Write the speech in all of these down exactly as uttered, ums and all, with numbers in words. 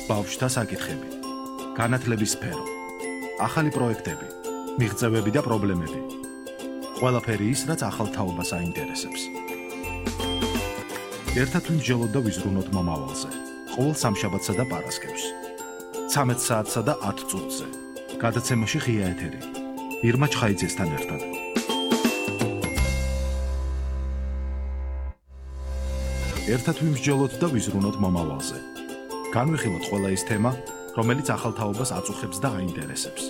ბავშვთა საკითხები, განათლების სფერო, ახალი პროექტები, მიღწევები და პრობლემები. ყველაფერი ის, რაც ახალ თაობას აინტერესებს. ერთად ვიმსჯელოთ და ვიზრუნოთ მომავალზე. ყოველ სამშაბათსა და პარასკევს. ცამეტ საათსა და ათ წუთზე. გადაცემაში ღია ეთერი. ირმა ჩხაიძესთან ერთად. ერთად ვიმსჯელოთ და ვიზრუნოთ მომავალზე. განვიხილოთ ყველა ის თემა, რომელიც ახალ თაობას აწუხებს და აინტერესებს.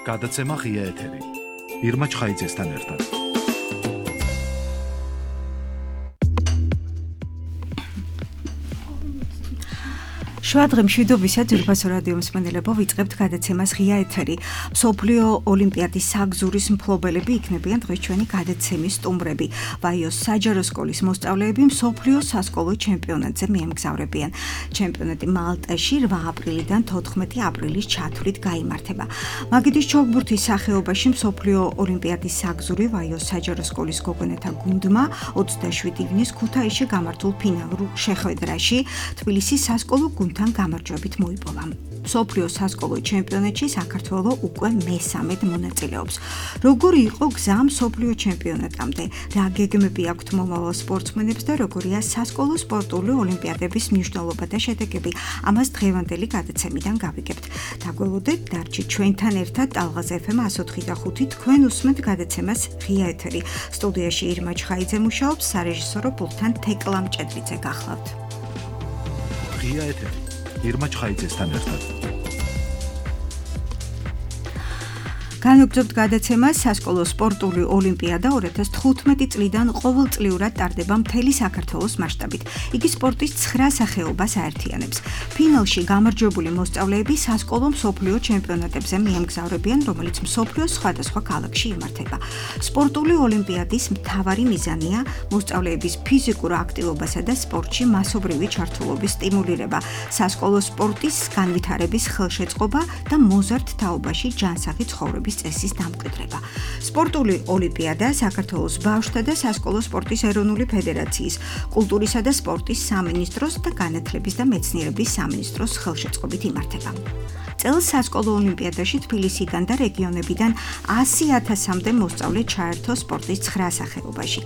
გადაცემა ღია ეთერი. ირმა ჩხაიძესთან ერთად. შვადღე მშვიდობისა ძვირფასო რადიო მსმენელებო, ვიწყებთ გადაცემას ღია ეთერი. მსოფლიო ოლიმპიადის საგზურის მფლობელები იქნებიან დღეს ჩვენი გადაცემის სტუმრები. ვაიოს საჯარო სკოლის მოსწავლეები მსოფლიო სასკოლო ჩემპიონატზე მიემგზავრებიან. ჩემპიონატი მალტაში რვა აპრილიდან თოთხმეტი აპრილის ჩათვლით გაიმართება. მაგიდის ჩოგბურთის სახეობაში მსოფლიო ოლიმპიადის საგზური ვაიოს საჯარო სკოლის გოგონათა გუნდმა ოცდაშვიდი ივნის ქუთაისში გამართულ ფინალურ შეხვედრაში თბილისის სასკოლო გუნდთან გამარჯვებით მოიპოვა. მსოფლიო სასკოლო ჩემპიონატში საქართველო უკვე მესამედ მონაწილეობს. როგორი იყო გზა მსოფლიო ჩემპიონატამდე? რა გეგმები აქვთ მომავალ სპორტსმენებს და როგორია სასკოლო სპორტული ოლიმპიადების მნიშვნელობა და შედეგები? ამას დღევანდელი გადაცემიდან გავიგებთ. დაგველოდეთ, დარჩით ჩვენთან ერთად ტალღაზ ეფ ემ εκατი ოთხი და ხუთი. თქვენ უსმენთ გადაცემას ღია ეთერი. სტუდიაში ირმა ჩხაიძე მუშაობს, სარეჟისორო პულტთან თეკლა მჭედრიძე გახლავთ. ღია ეთერი. ირმა ჩხაიძესთან ერთად. განვაგრძობთ გადაცემას სასკოლო სპორტული ოლიმპიადა ორი ათას თხუთმეტი წლიდან ყოველწლიურად ტარდება მთელი საქართველოს მასშტაბით. იგი სპორტის ცხრა სახეობას აერთიანებს. ფინალში გამარჯვებული მოსწავლეები სასკოლო მსოფლიო ჩემპიონატებზე მიემგზავრებიან, რომელიც მსოფლიოს სხვადასხვა ქალაქში იმართება. სპორტული ოლიმპიადის მთავარი მიზანია მოსწავლეების ფიზიკურ აქტივობასა და სპორტში მასობრივი ჩართულობის სტიმულირება, სასკოლო სპორტის განვითარების ხელშეწყობა და მოზარდ თაობაში ჯანსაღი ცხოვრების წესის დამკვიდრება. სპორტული ოლიმპიადა საქართველოს ბავშვთა და სასკოლო სპორტის ეროვნული ფედერაციის, კულტურისა და სპორტის სამინისტროს და განათლების და მეცნიერების სამინისტროს ხელშეწყობით იმართება. წელს სასკოლო ოლიმპიადაში თბილისიდან და რეგიონებიდან ასი ათასამდე მოსწავლე ჩაერთო სპორტის ცხრა სახეობაში.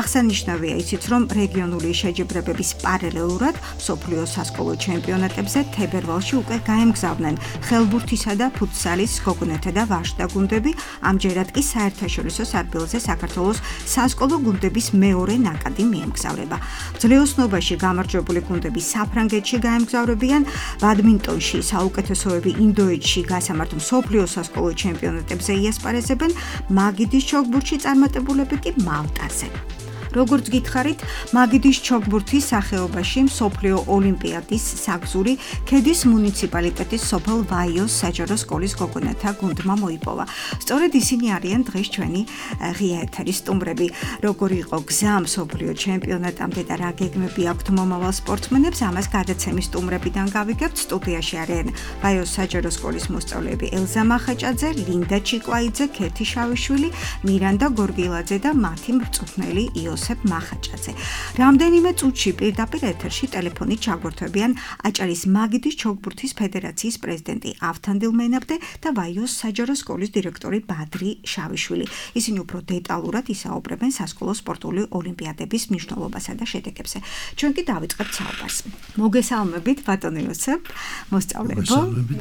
აღსანიშნავია ისიც, რომ რეგიონული შეჯიბრებების პარალელურად მსოფლიო სასკოლო ჩემპიონატებზე თებერვალში უკვე გაემგზავრნენ ხელბურთისა და ფუტსალის გოგონათა და ვაჟთა გუნდები, ამჯერად კი საერთაშორისო სარბილზე საქართველოს სასკოლო გუნდების მეორე ნაკადი მიემგზავრება. ძლეოსნობაში გამარჯვებული გუნდები საფრანგეთში გაემგზავრებიან, ბადმინტონში საუკეთესოები ინდოეთში გასამართ მსოფლიო სასკოლო ჩემპიონატებზე იასპარეზებენ, მაგიდის ჩოგბურთში წარმატებულები კი მალტაზე. როგორც გითხარით, მაგიდის ჩოგბურთის სახეობაში მსოფლიო ოლიმპიადის საგზური ქედის მუნიციპალიტეტის სოფელ ვაიოს საჯარო სკოლის გოგონათა გუნდმა მოიპოვა. სწორედ ისინი არიან დღეს ჩვენი ღია ეთერის სტუმრები. როგორი იყო გზა მსოფლიო ჩემპიონატამდე და რა გეგმები აქვთ მომავალ სპორტსმენებს, ამას გადაცემის სტუმრებიდან გავიგებთ. სტუდიაში არიან ვაიოს საჯარო სკოლის მოსწავლეები ელზა მახაჭაძე, ლინდა ჩიკვაიძე, ქეთი შავიშვილი, მირანდა გორგილაძე და მათი მწვრთნელი იოს მახაჭაძე. რამდენიმე წუთში პირდაპირ ეთერში ტელეფონით ჩაგვერთვებიან აჭარის მაგიდის ჩოგბურთის ფედერაციის პრეზიდენტი ავთანდილ მენაბდე და ვაიოს საჯარო სკოლის დირექტორი ბადრი შავიშვილი. ისინი უფრო დეტალურად ისაუბრებენ სასკოლო სპორტული ოლიმპიადების მნიშვნელობასა და შედეგებზე. ჩვენ კი დავიწყებთ საუბარს. მოგესალმებით ბატონო იოსებ, მოსწავლეებო.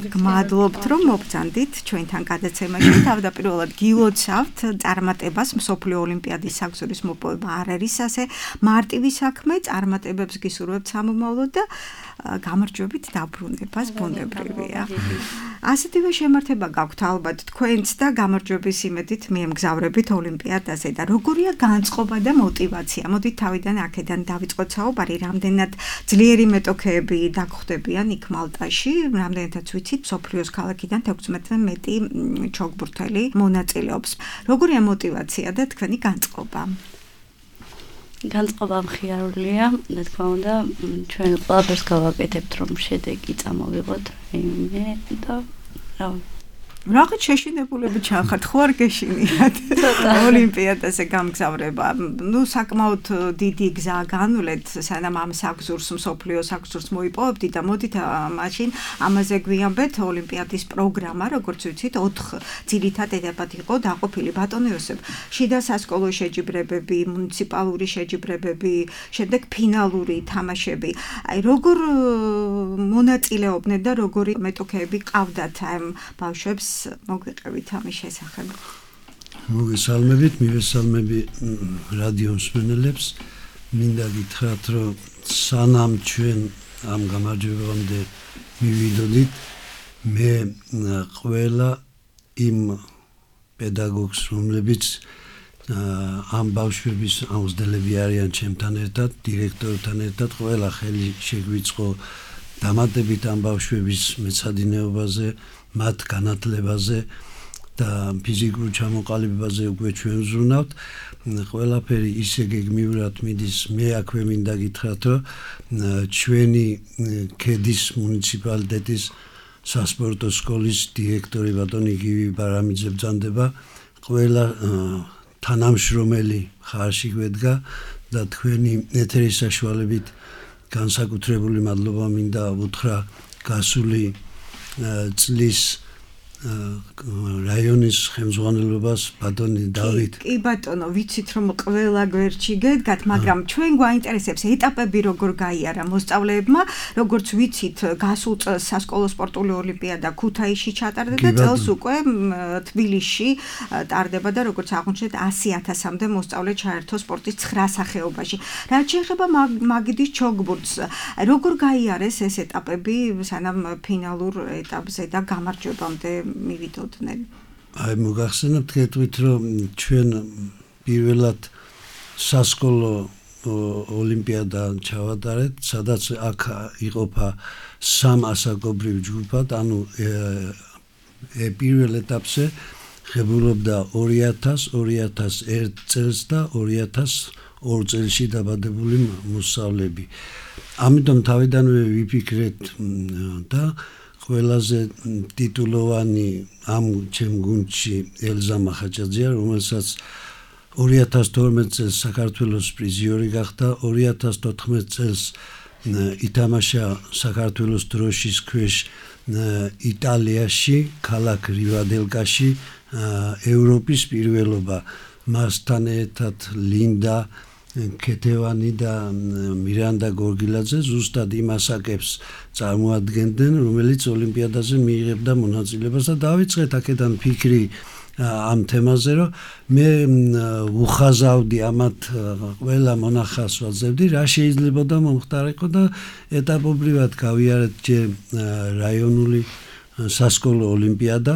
გმადლობთ, რომ მოგწანდით ჩვენთან გადაცემაში. თავდაპირველად გილოცავთ წარმატებას მსოფლიო ოლიმპიადის საგზურის მოპოვება არ არის ასე მარტივი საქმე, წარმატებებს გისურვებთ სამომავლოდ და გამარჯვებით დაბრუნებას ბუნებრივია. ასეთივე შემართება გაქვთ ალბათ თქვენც და გამარჯვების იმედით მიემგზავრებით ოლიმპიადაზე და როგორია განწყობა და мотиваცია? მოდით თავიდან აქედან დავიწყოთ საუბარი, რამდენად ძლიერი მეტოქეები დაგხვდებიან იქ მალტაში, რამდენადაც ვიცით, მსოფლიოს ქალაქიდან თექვსმეტზე მეტი ჩოგბურთელი მონაწილეობს. როგორია мотиваცია და თქვენი განწყობა? განწყობა მხიარულია, რა თქმა უნდა, ჩვენ ყველაფერს გავაკეთებთ, რომ შედეგი წამოვიღოთ, რაიმე და რა რაღაც შეშინებულები ჩახართ, ხო არ გეშინიათ ოლიმპიადაზე გამგზავრება. ნუ საკმაოდ დიდი გზაა განვლეთ, სანამ ამ საგზურს, მსოფლიო საგზურს მოიპოვებდით და მოდით მაშინ ამაზე გვიამბეთ. ოლიმპიადის პროგრამა, როგორც ვიცით, ოთხ ძირითად ეტაპად იყო დაყოფილი. ბატონო იოსებ, შიდა სასკოლო შეჯიბრებები, მუნიციპალური შეჯიბრებები, შემდეგ ფინალური თამაშები. აი როგორ მონაწილეობდნენ და როგორი მეტოქეები ყავდათ ამ ბავშვებს? მოგვიყევით ამის შესახებ. მოგესალმებით, მივესალმები რადიო მსმენელებს. მინდა გითხრათ, რომ სანამ ჩვენ ამ გამარჯვებამდე მივიდოდით, მე ყველა იმ პედაგოგს, რომლებიც ამ ბავშვების აუზდელები არიან ჩემთან ერთად, დირექტორთან ერთად, ყველა ხელი შეგვიწყო დამატებით ამ ბავშვების მეცადინეობაზე, მათ განათლებაზე და ფიზიკურ ჩამოყალიბებაზე უკვე ჩვენ ვზრუნავთ. ყველაფერი ისე გეგმიურად მიდის. მე აქვე მინდა გითხრათ, რომ ჩვენი ქედის მუნიციპალიტეტის სასპორტო სკოლის დირექტორი ბატონი გივი ბარამიძე ბრძანდება. ყველა თანამშრომელი ხარში გვედგა და თქვენი ეთერის საშუალებით განსაკუთრებული მადლობა მინდა უთხრა გასული წლის რაიონის ხელმძღვანელობას ბატონი დავით. კი ბატონო, ვიცით რომ ყველა გვერდში გედგათ, მაგრამ ჩვენ გვაინტერესებს ეტაპები როგორ გაიარა მოსწავლეებმა, როგორც ვიცით, გასულ წელს სასკოლო სპორტული ოლიმპიადა ქუთაისში ჩატარდა და წელს უკვე თბილისში ტარდება და როგორც აღმოჩნდა ასი ათასამდე მოსწავლე ჩაერთო სპორტის ცხრა სახეობაში. რაც შეეხება მაგიდის ჩოგბურთს, როგორ გაიარეს ეს ეტაპები სანამ ფინალურ ეტაპზე და გამარჯვებამდე მივიდოდნენ? აი მოგახსენებთ გეტყვით, რომ ჩვენ პირველად სასკოლო ოლიმპიადა ჩავატარეთ, სადაც აქ იყოფა სამ ასაკობრივ ჯგუფად, ანუ პირველ ეტაპზე ღებულობდა ორი ათას, ორი ათას ერთ წელს და ორი ათას ორ წელში დაბადებული მოსწავლეები. ამიტომ თავიდანვე ვიფიქრეთ და ყველაზე ტიტულოვანი ამ ჩემ გუნდში ელზა მახაჭაძეა, რომელსაც ორი ათას თორმეტ წელს საქართველოს პრიზიორი გახდა, ორი ათას თოთხმეტ წელს ითამაშა საქართველოს დროშის ქვეშ იტალიაში, ქალაქ რივადელკაში ევროპის პირველობა. მასთან ერთად ლინდა ქეთევანი და მირანდა გორგილაძე ზუსტად იმ ასაკებს წარმოადგენდნენ, რომელიც ოლიმპიადაზე მიიღებდა მონაწილეობას და დავიწყეთ აქედან ფიქრი ამ თემაზე, რომ მე უხაზავდი ამათ ყველა მონახავს ვაძლევდი, რა შეიძლებოდა მომხდარიყო და ეტაპობრივად გავიარეთ ჯერ რაიონული სასკოლო ოლიმპიადა.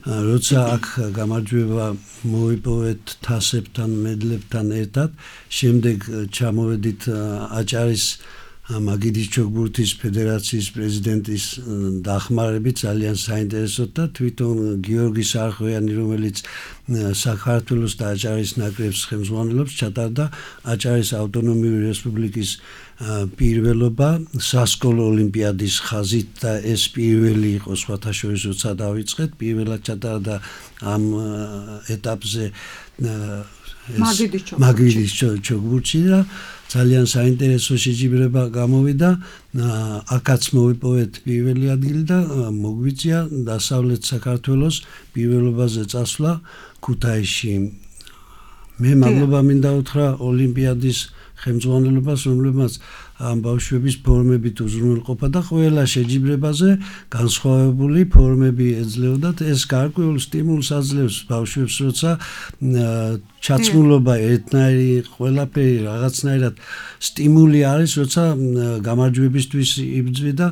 როცა აქ გამარჯვება მოიპოვეთ თასებთან, მედლებთან ერთად, შემდეგ ჩამოვედით აჭარის მაგიდის ჩოგბურთის ფედერაციის პრეზიდენტის დახმარებით, ძალიან საინტერესოდ და თვითონ გიორგი სარხვიანი, რომელიც საქართველოს და აჭარის ნაკრებს ხელმძღვანელობს, ჩატარდა აჭარის ავტონომიური რესპუბლიკის პირველობა სასკოლო ოლიმპიადის ხაზით და ეს პირველი იყო სხვათა შორის, როცა დავიწყეთ, პირველად ჩატარდა ამ ეტაპზე მაგიდის ჩოგბურთში და ძალიან საინტერესო შეჯიბრება გამოვიდა. აქაც მოვიპოვეთ პირველი ადგილი და მოგვიწია დასავლეთ საქართველოს პირველობაზე წასვლა ქუთაისში. მე მადლობა მინდა უთხრა ოლიმპიადის ხელმძღვანელობას, რომლებმაც ამ ბავშვების ფორმებით უზრუნველყოფა და ყველა შეჯიბრებაზე განსხვავებული ფორმები ეძლეოდათ. ეს გარკვეულ სტიმულს აძლევს ბავშვებს, როცა ჩაცმულობა ერთნაირი, ყველაფერი რაღაცნაირად სტიმული არის, როცა გამარჯვებისთვის იბრძვი და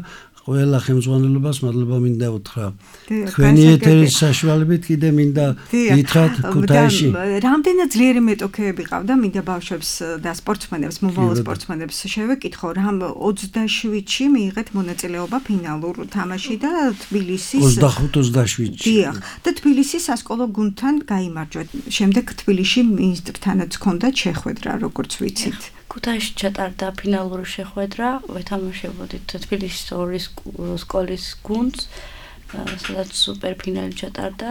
ყველა ხელმძღვანელობას მადლობა მინდა უთხრა. თქვენი ეთერის საშუალებით კიდე მინდა გითხრათ ქუთაისში. რამდენად ძლიერი მეტოქეები ყავდა მინდა ბავშვებს და სპორტსმენებს, მომავალ სპორტსმენებს შევეკითხო, რამ ოცდაშვიდში მიიღეთ მონაწილეობა ფინალურ თამაში და თბილისის ოცდახუთ ოცდაშვიდში. დიახ, და თბილისის სასკოლო გუნდთან გაიმარჯვეთ. შემდეგ თბილისში მინისტრთანაც ჰქონდათ შეხვედრა, როგორც ვიცით. ქუთაისში ჩატარდა ფინალური შეხვედრა, ვეთამაშებოდით თბილისის ორი სკოლის გუნდს სადაც სუპერფინალი ჩატარდა.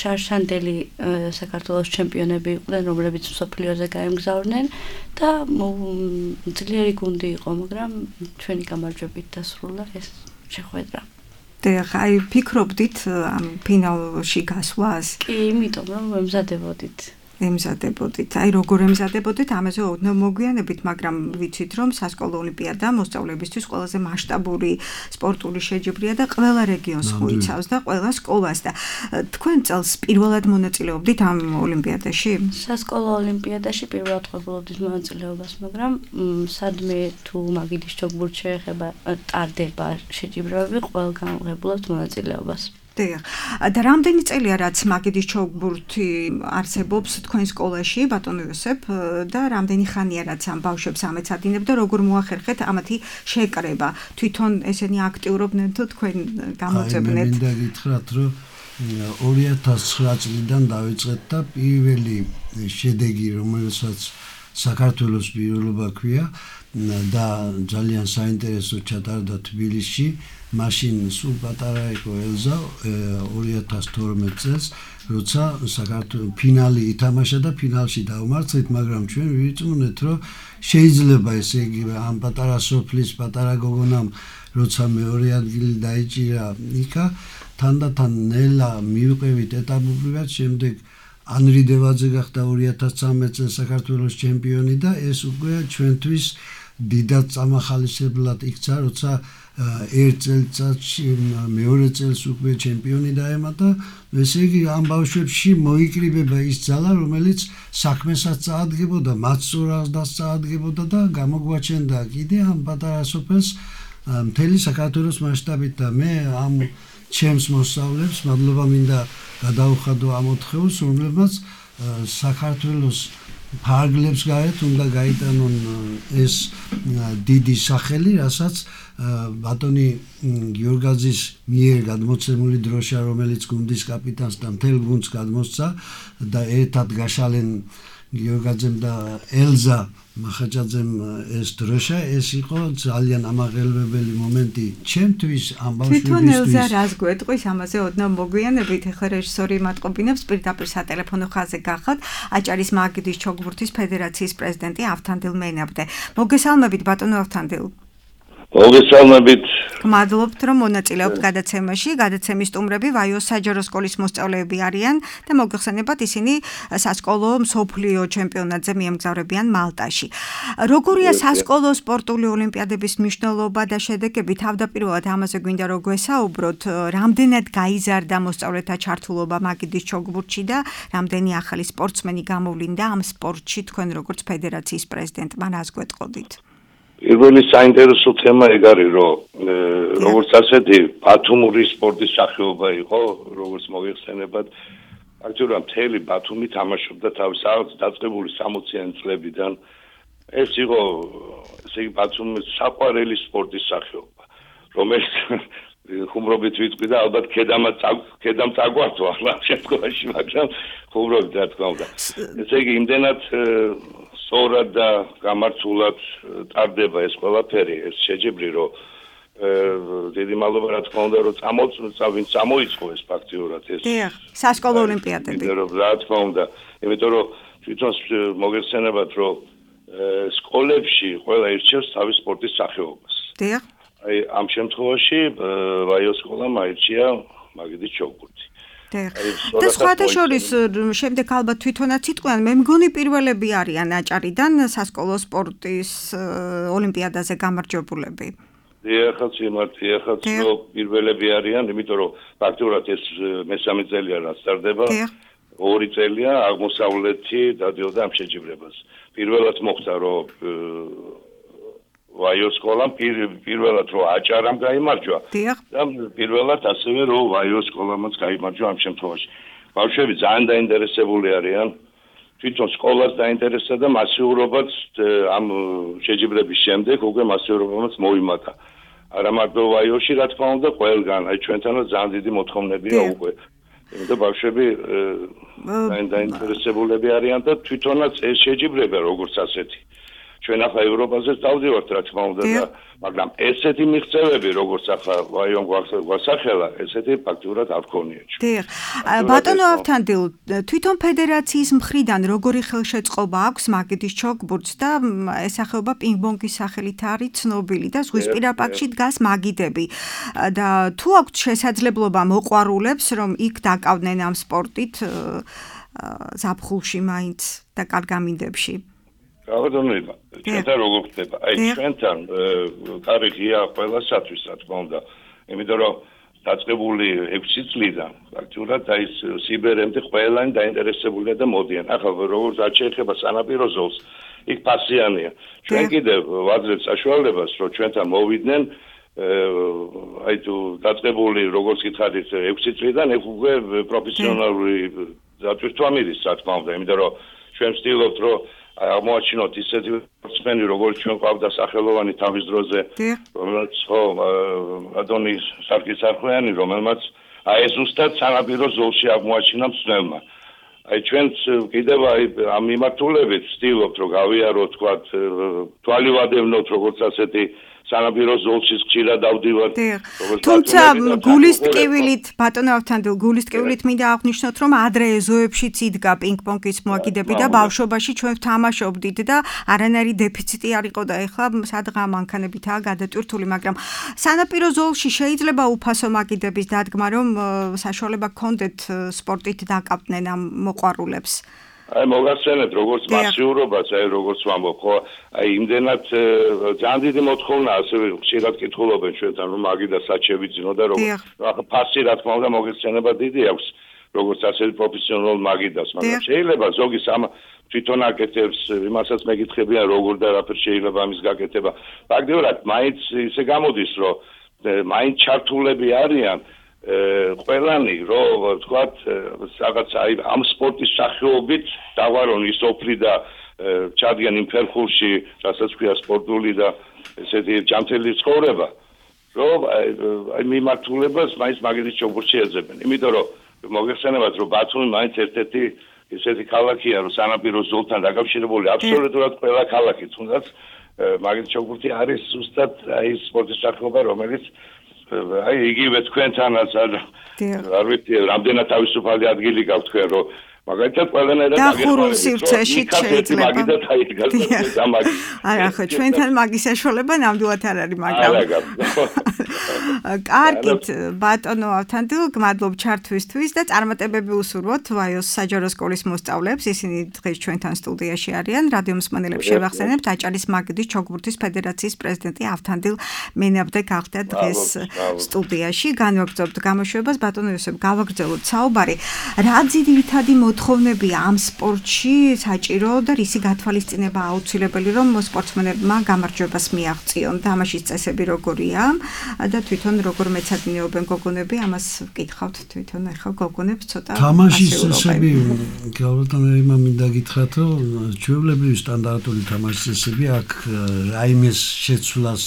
შარშანდელი საქართველოს ჩემპიონები იყვნენ, რომლებიც მსოფლიოზე გაემგზავრნენ და ძლიერი გუნდი იყო, მაგრამ ჩვენი გამარჯვებით დასრულდა ეს შეხვედრა. და აი ფიქრობდით ამ ფინალში გასვლას? კი, იმიტომ რომ ემზადებოდით. ემზადებოდით. აი როგორ ემზადებოდით, ამაზე ოდნავ მოგვიანებით, მაგრამ ვიცით რომ სასკოლო ოლიმპიადა მოსწავლეებისთვის ყველაზე მასშტაბური სპორტული შეჯიბრია და ყველა რეგიონს მოიცავს და ყველა სკოლას და თქვენ წელს პირველად მონაწილეობდით ამ ოლიმპიადაში? სასკოლო ოლიმპიადაში პირველად ყოფილობდით მონაწილეობას, მაგრამ სადმე თუ მაგიდის ჩოგბურთს შეეხება ტარდება შეჯიბრებები, ყველგან ვღებულობთ მონაწილეობას. და რამდენი წელია რაც მაგიდის ჩოგბურთი არსებობს თქვენ სკოლაში, ბატონო იოსებ, და რამდენი ხანია რაც ამ ბავშვებს ამეცადინებ და როგორ მოახერხეთ ამათი შეკრება? თვითონ ესენი აქტიურობდნენ თუ თქვენ გამოძებნეთ? აი, მე მინდა გითხრათ, რომ ორი ათას ცხრა წლიდან დავიწყეთ და პირველი შედეგი, რომელსაც საქართველოს პირველობა ქვია და ძალიან საინტერესო ჩატარდა თბილისში. მაშინ სულ პატარა იყო ელზა ორი ათას თორმეტ წელს, როცა საქართველოს ფინალი ითამაშა და ფინალში დავმარცხეთ, მაგრამ ჩვენ ვიწუნეთ, რომ შეიძლება ესე იგი ამ პატარა სოფლის პატარა გოგონამ, როცა მეორე ადგილი დაიჭირა იქა, თანდათან ნელა მივყევით ეტაპობრივად, შემდეგ ანრი დევაძე გახდა ორი ათას ცხრამეტ წელს საქართველოს ჩემპიონი და ეს უკვე ჩვენთვის დიდად წამახალისებლად იქცა, როცა ერთ წელიწადში მეორე წელს უკვე ჩემპიონი დაემატა. ესე იგი ამ ბავშვებში მოიკრიბება ის ძალა, რომელიც საქმესაც წაადგებოდა, მათ სწორადაც წაადგებოდა და გამოგვაჩენდა კიდე ამ პატარა სოფელს მთელი საქართველოს მასშტაბით და მე ამ ჩემს მოსწავლეებს მადლობა მინდა გადავუხადო ამ ოთხეულს, რომლებმაც საქართველოს ფარგლებს გარეთ უნდა გაიტანონ ეს დიდი სახელი, რასაც ბატონი გიორგაძის მიერ გადმოცემული დროშა, რომელიც გუნდის კაპიტანს და მთელ გუნდს გადმოსცა და ერთად გაშალენ გიორგაძემ და ელზა მახაჭაძემ ეს დროშა, ეს იყო ძალიან ამაღელვებელი მომენტი ჩემთვის, ამ ბავშვებისთვის. თვითონ ელზა რას გვეტყვის ამაზე ოდნავ მოგვიანებით, ახლა რეჟისორი მატყობინებს პირდაპირ სატელეფონო ხაზზე გახავთ აჭარის მაგიდის ჩოგბურთის ფედერაციის პრეზიდენტი ავთანდილ მენაბდე. მოგესალმებით ბატონო ავთანდილ. მოგესალმებით. გმადლობთ რომ მონაწილეობთ გადაცემაში. გადაცემის სტუმრები ვაიოს საჯარო სკოლის მოსწავლეები არიან და მოგეხსენებათ ისინი სასკოლო მსოფლიო ჩემპიონატზე მიემგზავრებიან მალტაში. როგორია სასკოლო სპორტული ოლიმპიადების მნიშვნელობა და შედეგები? თავდაპირველად ამაზე გვინდა რომ გვესაუბროთ, რამდენად გაიზარდა მოსწავლეთა ჩართულობა მაგიდის ჩოგბურთში და რამდენი ახალი სპორტსმენი გამოვლინდა ამ სპორტში თქვენ როგორც ფედერაციის პრეზიდენტმა რას გვეტყოდით? პირველი საინტერესო თემა ეგ არის, რომ როგორც ასეთი ბათუმური სპორტის სახეობა იყო, როგორც მოიხსენებათ, ფაქტობრივად მთელი ბათუმი თამაშობდა თავის დაწყებული სამოციანი წლებიდან. ეს იყო, ესე იგი, ბათუმის საყვარელი სპორტის სახეობა, რომელიც ხუმრობით ვიტყვი და ალბათ ქედამაც ქედამ წაგვართვა ამ შემთხვევაში, მაგრამ ხუმრობით რა თქმა უნდა. ესე იგი, იმდენად სწორად და გამართულად ტარდება ეს ყველაფერი, ეს შეჯიბრი, რომ დიდი მადლობა რა თქმა უნდა, რომ წამოწმდა, ვინც წამოიწყო ეს ფაქტიურად ეს. დიახ, სასკოლო ოლიმპიადები. რა თქმა უნდა, იმიტომ რომ თვითონ მოგეხსენებათ, რომ სკოლებში ყველა ირჩევს თავის სპორტის სახეობას. დიახ. აი ამ შემთხვევაში ვაიოს სკოლამ აირჩია მაგიდის ჩოგბურთი. და სხვათა შორის შემდეგ ალბათ თვითონაც იტყვიან, მე მგონი პირველები არიან აჭარიდან სასკოლო სპორტის ოლიმპიადაზე გამარჯვებულები. ეხაც იმართი, ეხაც რომ პირველები არიან, იმიტომ რომ ფაქტობრივად ეს მესამე წელია რაც სტარდება. ორი წელია აღმოსავლეთი დადიოდა ამ შეჯიბრებას. პირველად მოხდა რომ ვაიოს სკოლამ პირველად რომ აჭარამ გაიმარჯვა და პირველად ასევე რომ ვაიოს სკოლამაც გაიმარჯვა ამ შემთხვევაში. ბავშვები ძალიან დაინტერესებული არიან, თვითონ სკოლას დაინტერესდა და მასიურობაც ამ შეჯიბრების შემდეგ უკვე მასიურობაც მოიმატა. არა მარტო ვაიოში, რა თქმა უნდა, ყველგან, აი ჩვენთანაც ძალიან დიდი მოთხოვნებია უკვე. და ბავშვები დაინტერესებულები არიან და თვითონაც ეს შეჯიბრება როგორც ასეთი ჩვენ ახლა ევროპაზეც დავდივართ რა თქმა უნდა და მაგრამ ესეთი მიღწევები როგორც ახლა ვაიომ გვასახელა ესეთი ფაქტურად არ ქონია ჩვენ. დიახ. ბატონო ავთანდილ, თვითონ ფედერაციის მხრიდან როგორი ხელშეწყობა აქვს მაგიდის ჩოგბურთს და ესახება პინგ-პონგის სახელით არის ცნობილი და ზღვისპირა პარკში დგას მაგიდები. და თუ აქვს შესაძლებლობა მოყვარულებს რომ იქ დაკავდნენ ამ სპორტით ზაფხულში მაინც და კარგ ამინდებში. რაოდენობა ჩვენთან როგორ ხდება? აი ჩვენთან კარი ღია ყველასათვის რა თქმა უნდა. იმიტომ რომ დაწყებული ექვსი წლიდან ფაქტურად აი სიბერემდე ყველანი დაინტერესებულია და მოდიან. ახლა როგორც არ შეეხება სანაპირო ზოლს, იქ ფასიანია. ჩვენ კიდევ ვაძლევთ საშუალებას, რომ ჩვენთან მოვიდნენ აი თუ დაწყებული როგორც გითხარით ექვსი წლიდან ეგ უკვე პროფესიონალური დატვირთვა მიდის რა თქმა უნდა, იმიტომ რომ ჩვენ ვცდილობთ რომ აღმოაჩინოთ ისეთი სპორტსმენი როგორც ჩვენ ყავდა სახელოვანი თავის დროზე, რომელიც ხო ადონი სარკისარხვიანი, რომელმაც აი ზუსტად სანაპირო ზოლში აღმოაჩინა მსნელმა. აი ჩვენც კიდევ აი ამ მიმართულებით ვცდილობთ რომ გავიაროთ თქვა თვალი ვადევნოთ როგორც ასეთი სანაპირო ზოლში ხშირად დავდივართ. თუმცა გულის ტკივილით ბატონო ავთანდილ გულის ტკივილით მინდა აღნიშნოთ რომ ადრე ეზოებშიც იდგა პინგ-პონგის მოაგიდები და ბავშვობაში ჩვენ ვთამაშობდით და არანაირი დეფიციტი არ იყო და ეხლა სადღა მანქანებითაა გადატვირთული, მაგრამ სანაპირო ზოლში შეიძლება უფასო მაგიდების დადგმა რომ საშუალება გქონდეთ სპორტით დაკავდნენ ამ მოყვარულებს. აი მოგახსენებთ როგორც მასიურობას, აი როგორც ვამბობ, ხო, აი იმდენად ძალიან დიდი მოთხოვნა ასევე ხშირად კითხულობენ ჩვენთან რომ მაგიდა სად შევიძინო და როგორც ახლა ფასი რა თქმა უნდა მოგეხსენება დიდი აქვს როგორც ასეთი პროფესიონალ მაგიდას, მაგრამ შეიძლება ზოგი სამ თვითონ აკეთებს, იმასაც მეკითხებიან როგორ და რაფერ შეიძლება ამის გაკეთება. ფაქტობრივად მაინც ისე გამოდის რომ მაინც ჩართულები არიან ყველანი რომ თქვათ რაღაც აი ამ სპორტის სახეობით დავარონ ის ოფლი და ჩადგენ იმ ფერხულში რასაც ქვია სპორტული და ესეთი ჯანმრთელი ცხოვრება რომ აი მიმართულებას მაინც მაგიდის ჩოგბურთში ეძებენ იმიტომ რომ მოგეხსენებათ რომ ბათუმი მაინც ერთ-ერთი ესეთი ქალაქია რომ სანაპირო ზოლთან დაკავშირებული აბსოლუტურად ყველა ქალაქი თუნდაც მაგიდის ჩოგბურთი არის ზუსტად აი სპორტის სახეობა რომელიც აი იგივე თქვენთანაც არ არ ვიცი რამდენად თავისუფალი ადგილი გაქვთ თქვენ რომ მაგალითად ყველანაირად დახურულ სივრცეში შეიძლება არა ხო ჩვენთან მაგის საშუალება ნამდვილად არ არის მაგრამ კარგით ბატონო ავთანდილ გმადლობ ჩართვისთვის და წარმატებები უსურვოთ ვაიოს საჯარო სკოლის მოსწავლეებს ისინი დღეს ჩვენთან სტუდიაში არიან რადიო მსმენელებს შევახსენებთ აჭარის მაგიდის ჩოგბურთის ფედერაციის პრეზიდენტი ავთანდილ მენაბდე გახდა დღეს სტუდიაში განვაგრძობთ გამოშვებას ბატონო იოსებ გავაგრძელოთ საუბარი რა ძირითადი მოთხოვნებია ამ სპორტში საჭირო და რისი გათვალისწინება აუცილებელი რომ სპორტსმენებმა გამარჯვებას მიაღწიონ თამაშის წესები როგორია და თვითონ როგორ მეცადინეობენ გოგონები ამას ვკითხავთ თვითონ ახლა გოგონებს ცოტა თამაშის წესები გავთანაირმა მინდა გითხრათ რომ ჩვეულებრივი სტანდარტული თამაშის წესები აქ რაიმეს შეცვლას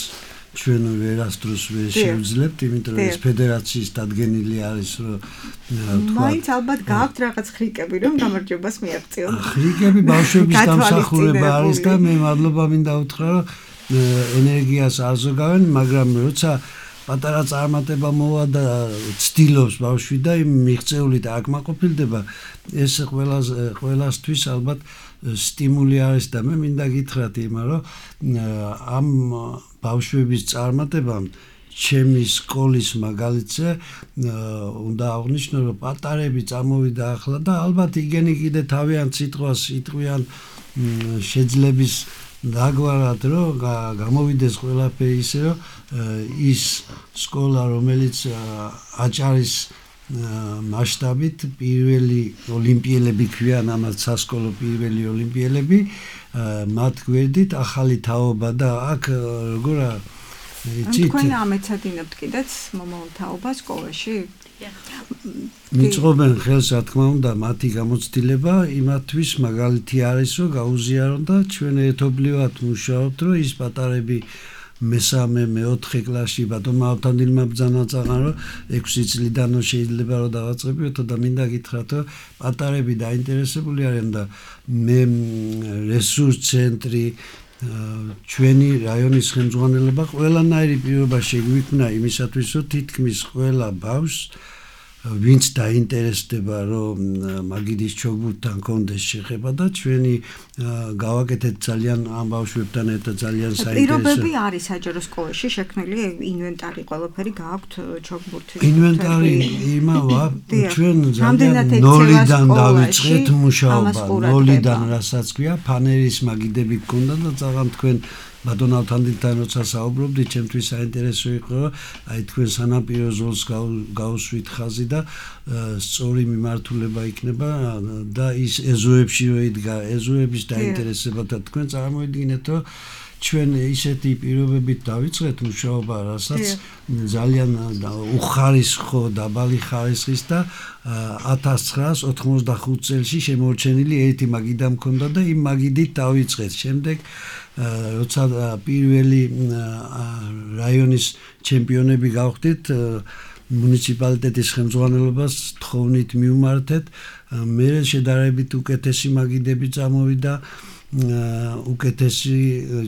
ჩვენ ვერასდროს ვერ შევძლებთ, იმიტომ რომ ეს ფედერაციის დადგენილი არის, რომ თქვა მაინც ალბათ გაქვთ რაღაც ხრიკები, რომ გამარჯვებას მიაღწიონ. ხრიკები ბავშვების დამსახურება არის და მე მადლობა მინდა უთხრა, რომ ენერგიას არ ზოგავენ, მაგრამ როცა პატარა წარმატება მოვა და ცდილობს ბავშვი და იმ მიღწეულით აკმაყოფილდება, ეს ყველას ყველასთვის ალბათ სტიმული არის და მე მინდა გითხრათ იმა, რომ ამ ბავშვების წარმატებამ ჩემი სკოლის მაგალითზე უნდა აღვნიშნო რომ პატარები წამოვიდა ახლა და ალბათ იგენი კიდე თავიანთ სიტყვას იტყვიან შეძლების დაგვარად რომ გამოვიდეს ყველაფერი ისე რომ ის სკოლა რომელიც აჭარის მასშტაბით პირველი ოლიმპიელები ქვიან ამათ სასკოლო პირველი ოლიმპიელები მათ გვერდით ახალი თაობა და აქ როგორა იცით თქვენ ამეცადინებთ კიდეც მომავალ თაობას სკოლაში მიწყობენ ხელს რა თქმა უნდა მათი გამოცდილება იმათთვის მაგალითი არის რომ გაუზიარონ და ჩვენ ერთობლივად მუშაობთ რომ ის პატარები მესამე მეოთხე კლასში ბატონმა ავთანდილმა ბრძანა წაღან რომ ექვსი წლიდან შეიძლება რომ დავაწყებიოთ და მინდა გითხრათ რომ პატარები დაინტერესებული არიან და მე რესურს ცენტრი ჩვენი რაიონის ხელმძღვანელობა ყველანაირი პირობა შეგვიქმნა იმისათვის, რომ თითქმის ყველა ბავშვს ვინც დაინტერესდება, რომ მაგიდის ჩოგბურთთან კონდეს შეხება და ჩვენი გავაკეთეთ ძალიან ამ ბავშვებთან ერთად ძალიან საინტერესო. პირობები არის საჯარო სკოლაში შექმნილი ინვენტარი, ყველაფერი გააქვთ ჩოგბურთის. ინვენტარი იმავა, ჩვენ ძალიან ნოლიდან დავიწყეთ მუშაობა, ნოლიდან რასაც ქვია, ფანერის მაგიდები გქონდა და წაღამ თქვენ ბატონ ავთანდილთან როცა საუბრობდით, ჩემთვის საინტერესო იყო, აი თქვენ სანაპირო ზოლს გაუსვით ხაზი და სწორი მიმართულება იქნება და ის ეზოებში რო იდგა, ეზოების დაინტერესება და თქვენ წარმოიდგინეთ, რომ ჩვენ ისეთი პირობებით დავიწყეთ მუშაობა, რასაც ძალიან უხარისხო დაბალი ხარისხის და ათას ცხრაას ოთხმოცდახუთ წელში შემორჩენილი ერთი მაგიდა მქონდა და იმ მაგიდით დავიწყეთ. შემდეგ როცა პირველი რაიონის ჩემპიონები გავხდით, მუნიციპალიტეტის ხელმძღვანელობას თხოვნით მივმართეთ, მე შედარებით უკეთესი მაგიდები წამოვიდა, უკეთესი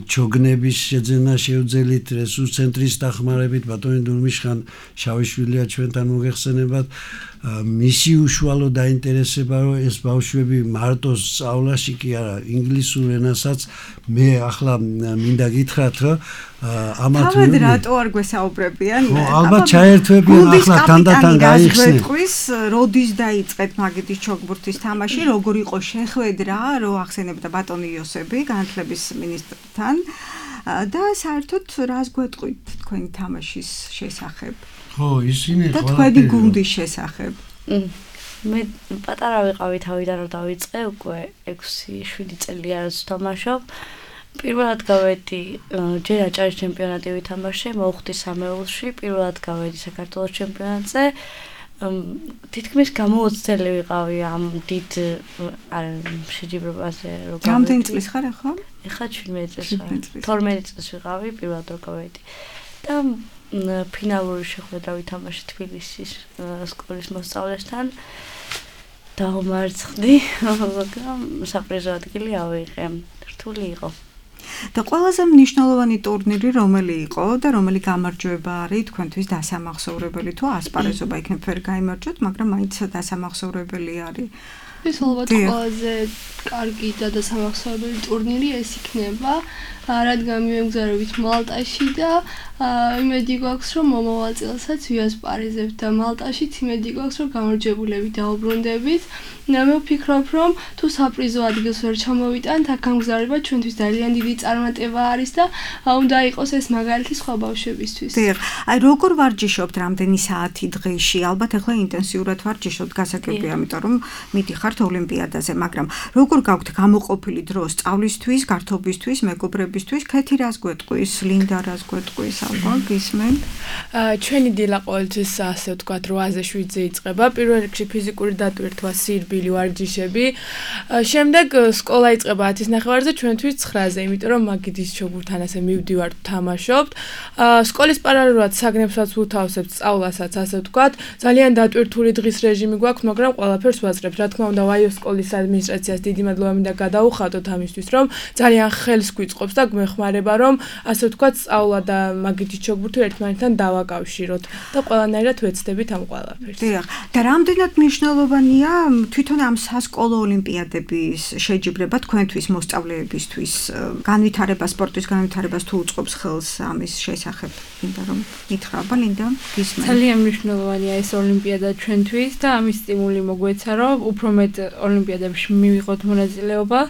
ჩოგნების შეძენა შევძელით რესურს ცენტრის დახმარებით, ბატონი დურმიშხან შავიშვილია ჩვენთან მოგეხსენებათ, მისი უშუალო დაინტერესება, რომ ეს ბავშვები მარტო სწავლაში კი არა, ინგლისურ ენასაც მე ახლა მინდა გითხრათ, რომ ამათ თავად რატო არ გვესაუბრებიან? ალბათ ჩაერთვებიან ახლა თანდათან გაიხსნით. როდის დაიწყეთ მაგიდის ჩოგბურთის თამაში, როგორ იყო შეხვედრა, რო ახსენებდა ბატონი იოსები განათლების მინისტრთან და საერთოდ რას გვეტყვით თქვენი თამაშის შესახებ? ხო, ისინი და თქვენი გუნდის შესახებ. მე პატარა ვიყავი თავიდან რომ დავიწყე, უკვე ექვსი შვიდი წელი არის თამაშობ. პირველად გავედი ჯერ აჭარის ჩემპიონატი ვითამაშე, მოუხდი სამეულში, პირველად გავედი საქართველოს ჩემპიონატზე. თითქმის გამოოცდელი ვიყავი ამ დიდ შეჯიბრებაზე, რომ გავედი. რამდენი წლის ხარ ახლა? ეხლა შვიდმეტი წლის ვარ. თორმეტი წლის ვიყავი, პირველად რომ გავედი. და ფინალური შეხვედრა ვითამაშე თბილისის სკოლის მოსწავლესთან. დაუმარცხდი, მაგრამ საპრიზო ადგილი ავიღე. რთული იყო. და ყველაზე მნიშვნელოვანი ტურნირი რომელი იყო და რომელი გამარჯვება არის თქვენთვის დასამახსოვრებელი, თუ ასპარეზობა იქნებ ვერ გაიმარჯვოთ, მაგრამ მაინც დასამახსოვრებელი არის. ეს ალბათ ყველაზე კარგი და დასამახსოვრებელი ტურნირი ეს იქნება, რადგან მივემგზავრებით მალტაში და იმედი გვაქვს, რომ მომავალ წელსაც ვიასპარეზებთ და მალტაშიც იმედი გვაქვს, რომ გამარჯვებულები დაუბრუნდებით. მე ვფიქრობ, რომ თუ საპრიზო ადგილს ვერ ჩამოვიტანთ, აქ გამგზავრება ჩვენთვის ძალიან დიდი წარმატება არის და უნდა იყოს ეს მაგალითი სხვა ბავშვებისთვის. დიახ, აი როგორ ვარჯიშობთ რამდენი საათი დღეში? ალბათ ახლა ინტენსიურად ვარჯიშობთ, გასაგებია, ამიტომ რომ მიდიხართ ოლიმპიადაზე, მაგრამ როგორ გაქვთ გამოყოფილი დრო სწავლისთვის, გართობისთვის, მეგობრებისთვის? ქეთი რას გვეტყვის, ლინდა რას გვეტყვის, ალბათ გისმენ? ჩვენი დილა ყოველთვის ასე ვთქვათ რვაზე შვიდზე იწყება. პირველ რიგში ფიზიკური დატვირთვა, სირბილი ვარჯიშები. შემდეგ სკოლა იწყება ათის ნახევარზე, ჩვენთვის ცხრაზე, იმიტომ რომ მაგიდის ჩოგბურთთან ასე მივდივართ, თამაშობთ. სკოლის პარალელურად საგნებსაც ვუთავსებთ, სწავლასაც, ასე ვთქვათ. ძალიან დატვირთული დღის რეჟიმი გვაქვს, მაგრამ ყველაფერს ვაწყებთ. რა თქმა უნდა, ვაიოს სკოლის ადმინისტრაციას დიდი მადლობა მინდა გადაუხადოთ ამისთვის, რომ ძალიან ხელს გვიწყობს და გვეხმარება, რომ ასე ვთქვათ, სწავლა და მაგიდის ჩოგბურთი ერთმანეთთან დავაკავშიროთ და ყველანაირად ვეცდებით ამ ყველაფერს. დიახ, და რამდენად მნიშვნელოვანია თვითონ ამ სასკოლო ოლიმპიადების შეჯიბრება თქვენთვის მოსწავლეებისთვის, განვითარება, სპორტის განვითარებას თუ უწყობს ხელს ამის შესახებ? მინდა რომ ითხრა, ლინდა, გისმენ. ძალიან მნიშვნელოვანია ეს ოლიმპიადა ჩვენთვის და ამის სტიმული მოგვეცა, რომ უფრო მეტ ოლიმპიადებში მივიღოთ მონაწილეობა.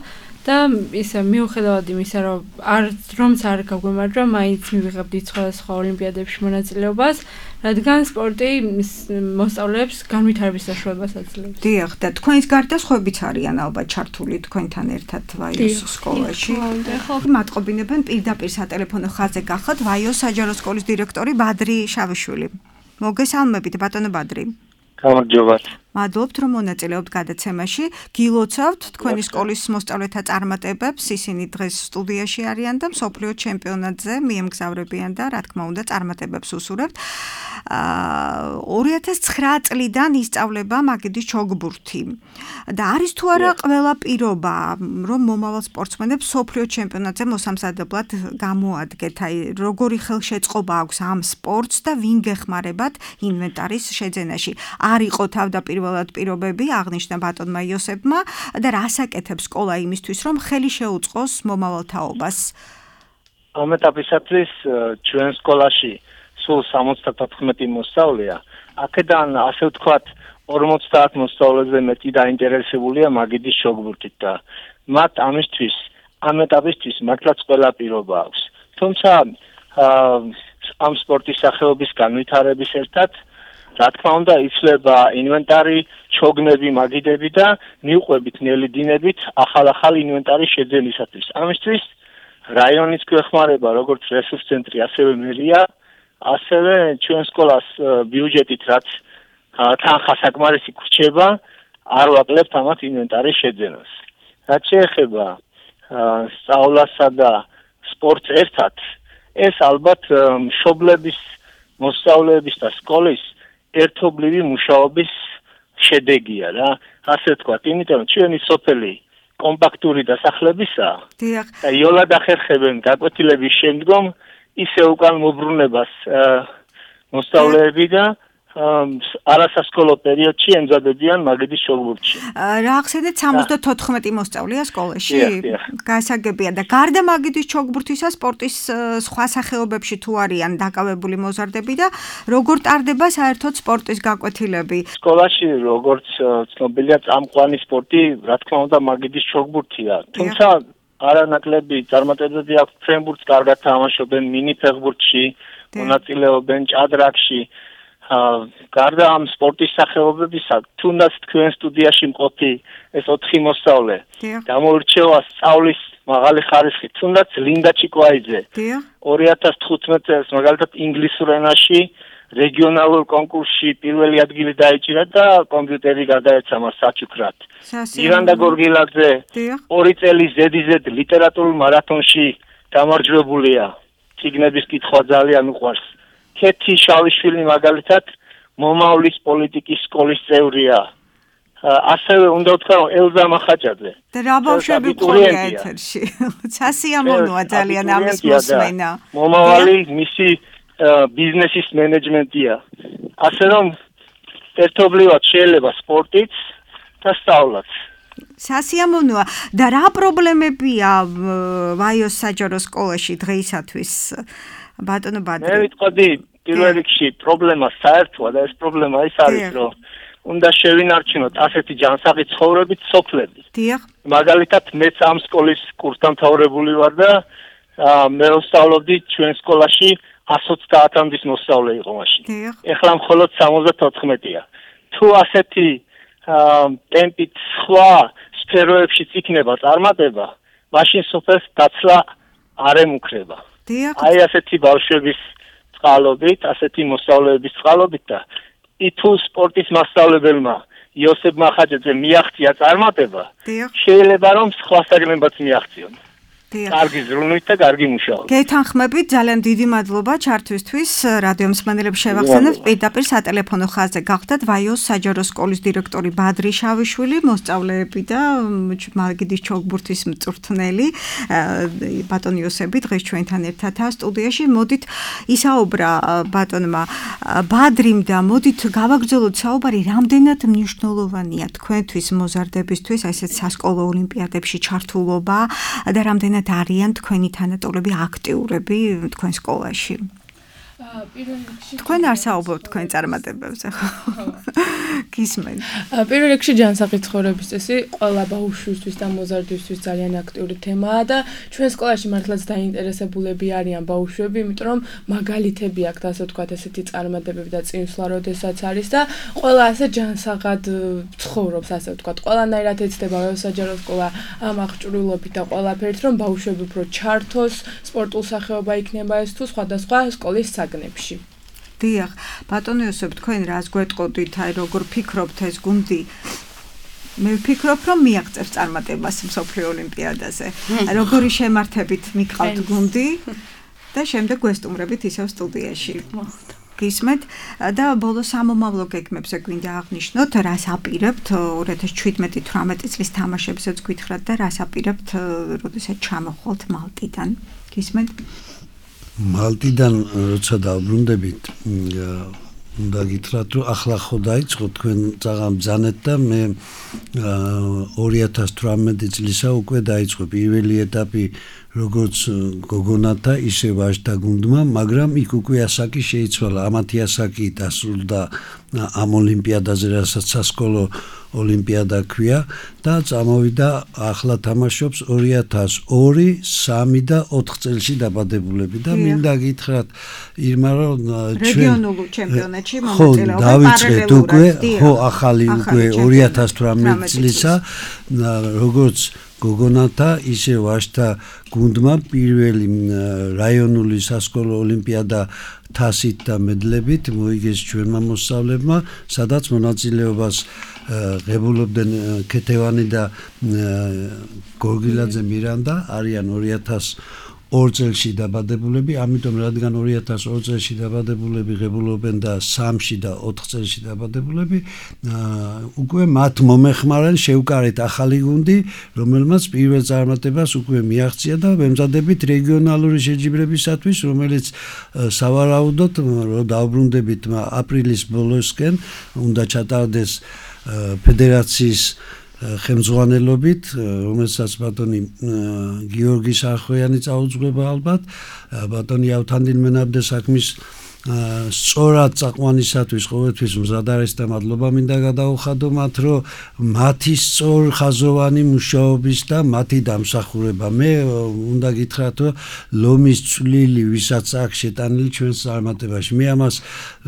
და ისა მიუხედავად იმისა, რომ არ რომც არ გაგვემარჯვა, მაინც მივიღებდით სხვადასხვა ოლიმპიადებში მონაწილეობას, რადგან სპორტი მოსწავლეებს განვითარების საშუალებას აძლევს. დიახ, და თქვენს გარდა სხვაებიც არიან ალბათ ჩართული თქვენთან ერთად ვაიოს სკოლაში. მატყობინებენ პირდაპირ სატელეფონო ხაზზე გახოთ ვაიოს საჯარო სკოლის დირექტორი ბადრი შავიშვილი. მოგესალმებით, ბატონო ბადრი. გამარჯობათ. მადლობთ, რომ მონაწილეობთ გადაცემაში. გილოცავთ თქვენი სკოლის მოსწავლეთა წარმატებებს. ისინი დღეს სტუდიაში არიან და მსოფლიო ჩემპიონატზე მიემგზავრებიან და რა თქმა უნდა წარმატებებს უსურვებთ. ორი ათას ცხრა წლიდან ისწავლება მაგიდის ჩოგბურთი. და არის თუ არა ყველა პირობა, რომ მომავალ სპორტსმენებს მსოფლიო ჩემპიონატზე მოსამზადებლად გამოადგეთ, აი როგორი ხელშეწყობა აქვს ამ სპორტს და ვინ გეხმარებათ ინვენტარის შეძენაში. არ იყო თავდაპირველად პირობები, აღნიშნა ბატონმა იოსებმა და რას აკეთებს სკოლა იმისთვის, რომ ხელი შეუწყოს მომავალ თაობას? ამ ეტაპისათვის ჩვენ სკოლაში სულ სამოცდათოთხმეტი მოსწავლეა. აქედან ასე ვთქვათ ორმოცდაათ მოსწავლეზე მეტი დაინტერესებულია მაგიდის ჩოგბურთით და მათ ამისთვის ამ ეტაპისთვის მართლაც ყველა პირობა აქვს. თუმცა ამ სპორტის სახეობის განვითარების ერთად რა თქმა უნდა იცვლება ინვენტარი, ჩოგნები, მაგიდები და მიუყვებით ნელი დინებით ახალ-ახალ ინვენტარის შეძენისათვის. ამისთვის რაიონის გვეხმარება როგორც რესურს ცენტრი, ასევე მერია, ასევე ჩვენ სკოლას ბიუჯეტით რაც თანხა საკმარისი გვრჩება, არ ვაკლებთ ამათ ინვენტარის შეძენას. რაც შეეხება სწავლასა და სპორტს ერთად, ეს ალბათ მშობლების, მოსწავლეების და სკოლის ერთობლივი მუშაობის შედეგია რა. ასე ვთქვათ, იმიტომ რომ ჩვენი სოფელი კომპაქტური დასახლებისაა. და იოლად ახერხებენ გაკვეთილების შემდგომ ისე უკან მობრუნებას მოსწავლეები და არასასკოლო პერიოდში ემზადებიან მაგიდის ჩოგბურთში. რა ახსენეთ სამოცდათოთხმეტი მოსწავლეა სკოლაში? გასაგებია და გარდა მაგიდის ჩოგბურთისა სპორტის სხვა სახეობებში თუ არიან დაკავებული მოზარდები და როგორ ტარდება საერთოდ სპორტის გაკვეთილები? სკოლაში როგორც ცნობილია წამყვანი სპორტი, რა თქმა უნდა მაგიდის ჩოგბურთია. თუმცა არანაკლები წარმატებები აქვს ფრენბურთს, კარგად თამაშობენ მინი ფეხბურთში, მონაწილეობენ ჭადრაკში. გარდა ამ სპორტის სახეობებისა, თუნდაც თქვენ სტუდიაში მყოფი ეს ოთხი მოსწავლე გამოირჩევა სწავლის მაღალი ხარისხით, თუნდაც ლინდა ჩიკვაიძე ორი ათას თხუთმეტ წელს მაგალითად ინგლისურ ენაში რეგიონალურ კონკურსში პირველი ადგილი დაიჭირა და კომპიუტერი გადაეცა მას საჩუქრად. ირანდა გორგილაძე ორი წელი ზედიზედ ლიტერატურულ მარათონში გამარჯვებულია. წიგნების კითხვა ძალიან უყვარს. ქეთი შალიშვილი მაგალითად მომავლის პოლიტიკის სკოლის წევრია. ასევე უნდა ვთქვა რომ ელზა მახაჭაძე. და რა ბავშვები ყოლია ეთერში. სასიამოვნოა ძალიან ამის მოსმენა. მომავალი მისი ბიზნესის მენეჯმენტია. ასე რომ ერთობლივად შეიძლება სპორტიც და სწავლაც. სასიამოვნოა და რა პრობლემებია ვაიოს საჯარო სკოლაში დღეისათვის? ბატონო ბადრი. მე ვიტყოდი პირველ რიგში პრობლემა საერთოა და ეს პრობლემა ის არის რომ უნდა შევინარჩუნოთ ასეთი ჯანსაღი ცხოვრებით სოფლები. დიახ. მაგალითად მეც ამ სკოლის კურსდამთავრებული ვარ და მე ვსწავლობდი ჩვენ სკოლაში εκατს ოცდაათამდის მოსწავლე იყო მაშინ. ეხლა მხოლოდ სამოცდათოთხმეტია. თუ ასეთი ტემპით სხვა სფეროებშიც იქნება წარმატება, მაშინ სოფელს დაცლა არ ემუქრება. აი ასეთი ბავშვების წყალობით, ასეთი მოსწავლეების წყალობით და ითუ სპორტის მასწავლებელმა იოსებ მახაჭაძემ მიაღწია წარმატება, შეიძლება რომ სხვა საგნებაც მიაღწიონ. კარგი ზრუნვით და კარგი მუშაობით. გეთანხმებით, ძალიან დიდი მადლობა ჩართვისთვის. რადიო მსმენელებს შევახსენებთ, პირდაპირ სატელეფონო ხაზზე გახდათ ვაიოს საჯარო სკოლის დირექტორი ბადრი შავიშვილი, მოსწავლეები და მაგიდის ჩოგბურთის მწვრთნელი ბატონ იოსები დღეს ჩვენთან ერთადაა სტუდიაში. მოდით ისაუბრა ბატონმა ბადრიმ და მოდით გავაგრძელოთ საუბარი, რამდენად მნიშვნელოვანია თქვენთვის მოზარდებისთვის ესეც სასკოლო ოლიმპიადებში ჩართულობა და რამდენად არიან თქვენი თანატოლები აქტიურები თქვენ სკოლაში? თქვენ არ საუბრობთ თქვენ წარმატებებზე, ხო? გისმენთ. პირველ რიგში ჯანსაღი ცხოვრების წესი ყველა ბავშვისთვის და მოზარდისთვის ძალიან აქტიური თემაა და ჩვენ სკოლაში მართლაც დაინტერესებულები არიან ბავშვები, იმიტომ რომ მაგალითები აქვს, ასე ვთქვათ, ესეთი წარმატებები და წინსვლა, როდესაც არის და ყველა ასე ჯანსაღად ცხოვრობს, ასე ვთქვათ, ყველანაირად ეცდება საჯარო სკოლა ამ აღჭურვილობით და ყველაფერით, რომ ბავშვები უფრო ჩართოს, სპორტულ სახეობა იქნება ეს თუ სხვადასხვა სკოლის საგნებში. დიახ, ბატონო იოსებ, თქვენ რას გვეტყოდით, აი როგორ ფიქრობთ ეს გუნდი? მე ვფიქრობ, რომ მიაღწევს წარმატებას მსოფლიო ოლიმპიადაზე. როგორი შემართებით მიყავთ გუნდი და შემდეგ გვესტუმრებით ისევ სტუდიაში. გისმენთ და ბოლო სამომავლო გეგმებზე გვინდა აღნიშნოთ, რას აპირებთ ორი ათას შვიდმეტი თვრამეტი წლის თამაშებზეც გითხრათ და რას აპირებთ, როდესაც ჩამოხვალთ მალტიდან. გისმენთ? მალტიდან როცა დავბრუნდებით, უნდა გითხრათ, რომ ახლა ხო დაიწყო თქვენ წაღამ ბრძანეთ და მე ორი ათას თვრამეტი წლისა უკვე დაიწყო პირველი ეტაპი როგორც გოგონათა ისე ვაჟთა გუნდმა, მაგრამ იქ უკვე ასაკი შეიცვალა, ამათი ასაკი დასრულდა ამ ოლიმპიადაზე, რასაც სასკოლო ოლიმპიადა ქვია და წამოვიდა ახლა თამაშობს ორი ათას ორი, სამი და ოთხ წელში დაბადებულები და მინდა გითხრათ ირმა რომ რეგიონულ ჩემპიონატში მონაწილეობა დავიწყეთ უკვე, ხო ახალი უკვე ორი ათას თვრამეტი წლისა, როგორც გოგონათა ისე ვაჟთა გუნდმა პირველი რაიონული სასკოლო ოლიმპიადა თასით და მედლებით მოიგეს ჩვენმა მოსწავლეებმა, სადაც მონაწილეობას ღებულობდნენ ქეთევანი და გორგილაძე მირანდა, არიან ორი ათას ორ წელში დაბადებულები, ამიტომ რადგან ორი ათას ორ წელში დაბადებულები ღებულობენ და სამში და ოთხ წელში დაბადებულები, უკვე მათ მომეხმარენ შევკარეთ ახალი გუნდი, რომელმაც პირველ წარმატებას უკვე მიაღწია და ვემზადებით რეგიონალური შეჯიბრებისათვის, რომელიც სავარაუდოდ რომ დავბრუნდებით აპრილის ბოლოსკენ უნდა ჩატარდეს ფედერაციის ხელმძღვანელობით, რომელსაც ბატონი გიორგი სარხვიანი წაუძღვება ალბათ, ბატონი ავთანდილ მენაბდე საქმის სწორად წაყვანისათვის ყოველთვის მზად არის და მადლობა მინდა გადაუხადო მათ, რომ მათი სწორ ხაზოვანი მუშაობის და მათი დამსახურება. მე უნდა გითხრათ, რომ ლომის წვლილი ვისაც აქვს შეტანილი ჩვენს წარმატებაში. მე ამას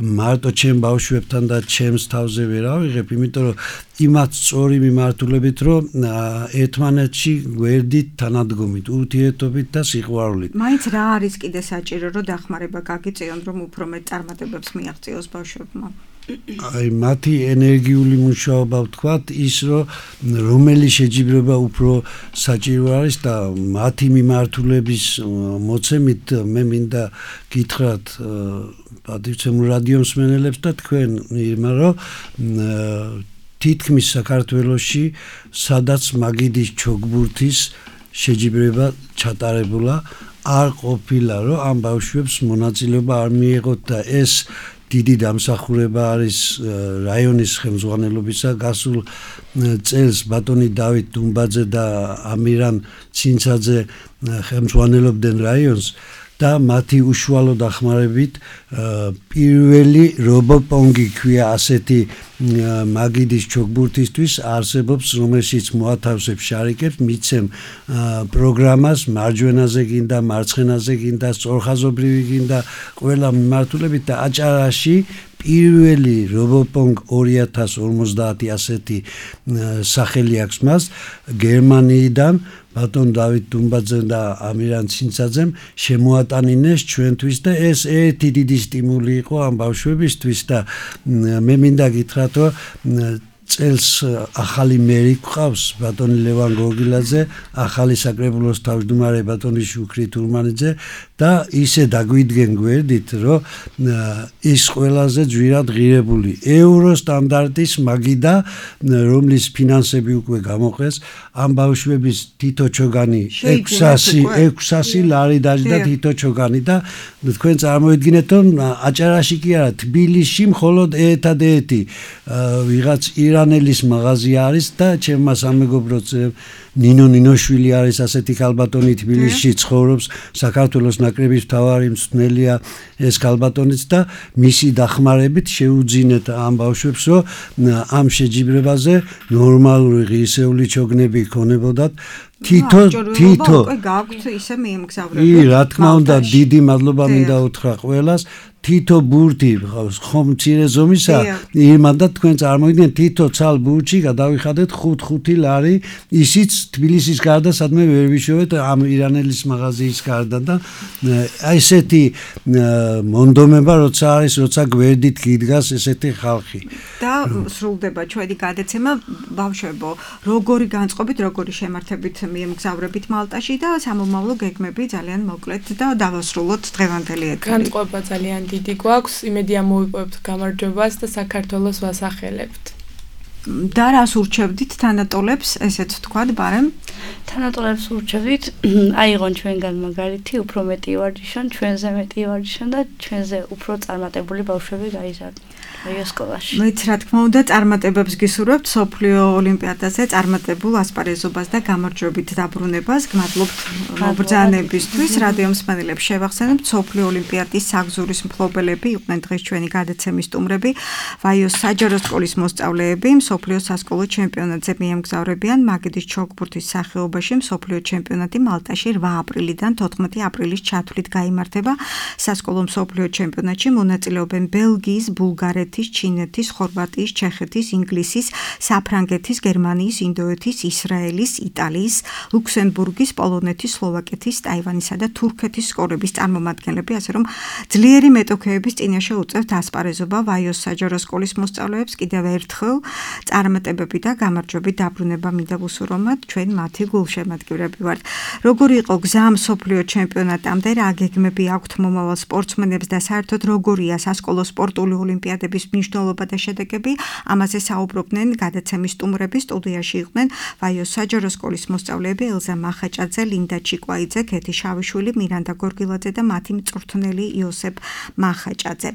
მარტო ჩემ ბავშვებთან და ჩემს თავზე ვერ ავიღებ, იმიტომ რომ იმათ სწორი მიმართულებით, რომ ერთმანეთში გვერდით თანადგომით, ურთიერთობით და სიყვარულით. მაინც რა არის კიდე საჭირო, რომ დახმარება გაგიწიონ, რომ უფრო მეტ წარმატებებს მიაღწიოს ბავშვებმა? აი მათი ენერგიული მუშაობა ვთქვათ, ის რომ რომელი შეჯიბრება უფრო საჭირო არის და მათი მიმართულების მოცემით მე მინდა გითხრათ პატივცემულ რადიო მსმენელებს და თქვენ, ირმა, რომ თითქმის საქართველოში, სადაც მაგიდის ჩოგბურთის შეჯიბრება ჩატარებულა, არ ყოფილა, რომ ამ ბავშვებს მონაწილეობა არ მიეღოთ და ეს დიდი დამსახურება არის რაიონის ხელმძღვანელობისა. გასულ წელს ბატონი დავით დუმბაძე და ამირან ცინცაძე ხელმძღვანელობდნენ რაიონს და მათი უშუალო დახმარებით პირველი რობოპონგი ქვია ასეთი მაგიდის ჩოგბურთისთვის არსებობს, რომელშიც მოათავსებ შარიკებს, მიცემ პროგრამას, მარჯვენაზე გინდა, მარცხენაზე გინდა, სწორხაზობრივი გინდა, ყველა მიმართულებით და აჭარაში პირველი რობოპონგ ორი ათას ორმოცდაათი ასეთი სახელი აქვს მას გერმანიიდან ბატონ დავით დუმბაძემ და ამირან ცინცაძემ შემოატანინეს ჩვენთვის და ეს ერთი დიდი სტიმული იყო ამ ბავშვებისთვის და მე მინდა გითხრათ, რომ წელს ახალი მერი გვყავს ბატონი ლევან გორგილაძე, ახალი საკრებულოს თავმჯდომარე ბატონი შუქრი თურმანიძე და ისე დაგვიდგენ გვერდით, რომ ის ყველაზე ძვირად ღირებული ევრო სტანდარტის მაგიდა, რომლის ფინანსები უკვე გამოყეს, ამ ბავშვების თითო ჩოგანი ექვსასი ლარი დაჯდა თითო ჩოგანი და თქვენ წარმოიდგინეთ, რომ აჭარაში კი არა, თბილისში მხოლოდ ერთადერთი ვიღაც ირანელის მაღაზია არის და ჩემმა სამეგობროც ნინო ნინოშვილი არის ასეთი ქალბატონი თბილისში ცხოვრობს, საქართველოს ნაკრების მთავარი მწვრთნელია ეს ქალბატონიც და მისი დახმარებით შეუძინეთ ამ ბავშვებს, რომ ამ შეჯიბრებაზე ნორმალური ღირსეული ჩოგნები ქონებოდათ. თითო თითო უკვე გაქვთ ისე მიემგზავრებათ. ი რა თქმა უნდა, დიდი მადლობა მინდა უთხრა ყველას. თითო ბურთი ხომ მცირე ზომისა, ირმა და თქვენ წარმოიდგინეთ, თითო ცალ ბურთში გადავიხადეთ ხუთ-ხუთი ლარი, ისიც თბილისის გარდა სადმე ვერ ვიშოვეთ ამ ირანელის მაღაზიის გარდა და ესეთი მონდომება როცა არის, როცა გვერდით გიდგას ესეთი ხალხი. და სრულდება ჩვენი გადაცემა, ბავშვებო, როგორი განწყობით, როგორი შემართებით მიემგზავრებით მალტაში და სამომავლო გეგმები ძალიან მოკლედ და დავასრულოთ დღევანდელი ეთერი. განწყობა ძალიან დიდი გვაქვს, იმედია მოვიპოვებთ გამარჯვებას და საქართველოს ვასახელებთ. და რას ურჩევდით თანატოლებს, ესეც ვთქვათ, ბარემ? თანატოლებს ურჩევდით, აიღონ ჩვენგან მაგალითი, უფრო მეტი ვარჯიშონ, ჩვენზე მეტი ვარჯიშონ და ჩვენზე უფრო წარმატებული ბავშვები გაიზარდონ. აი სკოლაში. მეც რა თქმა უნდა წარმატებებს გისურვებთ სოფლიო ოლიმპიადაზე წარმატებულ ასპარეზობას და გამარჯვებით დაბრუნებას. გმადლობთ მობრძანებისთვის. რადიო მსმენელებს შევახსენებთ სოფლიო ოლიმპიადის საგზურის მფლობელები იყვნენ დღეს ჩვენი გადაცემის სტუმრები, ვაიოს საჯარო სკოლის მოსწავლეები, მსოფლიო სასკოლო ჩემპიონატზე მიემგზავრებიან მაგიდის ჩოგბურთის სახეობაში. მსოფლიო ჩემპიონატი მალტაში რვა აპრილიდან თოთხმეტი აპრილის ჩათვლით გაიმართება. სასკოლო მსოფლიო ჩემპიონატში მონაწილეობენ ბელგიის, ბულგარეთის, ჩინეთის, ხორვატიის, ჩეხეთის, ინგლისის, საფრანგეთის, გერმანიის, ინდოეთის, ისრაელის, იტალიის, ლუქსემბურგის, პოლონეთის, სლოვაკეთის, ტაივანისა და თურქეთის სკოლების წარმომადგენლები, ასე რომ ძლიერი მეტოქეების წინაშე უწევთ ასპარეზობა ვაიოს საჯარო სკოლის მოსწავლეებს. კიდევ ერთხელ წარმატებები და გამარჯვებით დაბრუნება მინდა ვუსურვოთ, ჩვენ მათი გულშემატკივრები ვართ. როგორი იყო გზა მსოფლიო ჩემპიონატამდე, რა გეგმები აქვთ მომავალ სპორტსმენებს და საერთოდ როგორია სასკოლო სპორტული ოლიმპიადების მნიშვნელობა და შედეგები, ამაზე საუბრობდნენ გადაცემის სტუმრები. სტუდიაში იყვნენ ვაიოს საჯარო სკოლის მოსწავლეები ელზა მახაჭაძე, ლინდა ჩიკვაიძე, ქეთი შავიშვილი, მირანდა გორგილაძე და მათი მწვრთნელი იოსებ მახაჭაძე.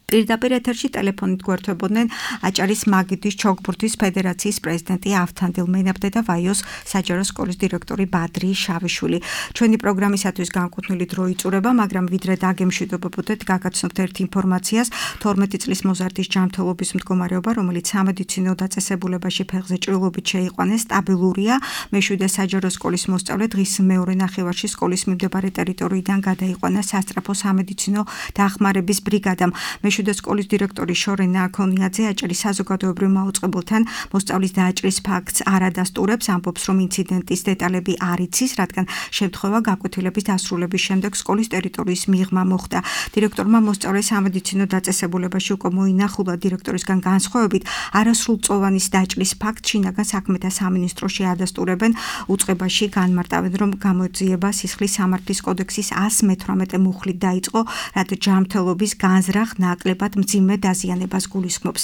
პირდაპირ ეთერში ტელეფონით გვერდებოდნენ აჭარის მაგიდის ჩოგბურთის ფედერაციის პრეზიდენტი ავთანდილ მენაბდე და ვაიოს საჯარო სკოლის დირექტორი ბადრი შავიშვილი. ჩვენი პროგრამისათვის განკუთვნილი დრო იწურება, მაგრამ ვიდრე დაგემშვიდობებოდეთ, გაგაცნობთ ერთ ინფორმაციას. თორმეტი წლის მოზარდის ჯანმრთელობის მდგომარეობა, რომელიც სამედიცინო დაწესებულებაში ფეხზე ჭრილობით შეიყვანეს, სტაბილურია. მეშვიდე საჯარო სკოლის მოსწავლე დღის მეორე ნახევარში სკოლის მიმდებარე ტერიტორიიდან გადაიყვანა სასწრაფო სამედიცინო დახმარების ბრიგადამ. მეშვიდე სკოლის დირექტორი შორენა აქონიაძე აჭარის საზოგადოებრივ მაუწყებელთან მოსწავლის დააჭრის ფაქტს არ ადასტურებს, ამბობს, რომ ინციდენტის დეტალები არ იცის, რადგან შემთხვევა გაკვეთილების დასრულების შემდეგ სკოლის ტერიტორიის მიღმა მოხდა. დირექტორმა მოსწავლეს სამედიცინო დაწესებულებაში უკვე მოინახულა. დირექტორისგან განსხვავებით, არასრულწლოვანის დაჭრის ფაქტს შინაგან საქმეთა სამინისტროში ადასტურებენ. უწყებაში განმარტავენ, რომ გამოძიება სისხლის სამართლის კოდექსის ას მეთვრამეტე მუხლით დაიწყო, რაც ჯანმრთელობის განზრახ ნაკლებად მძიმე დაზიანებას გულისხმობს.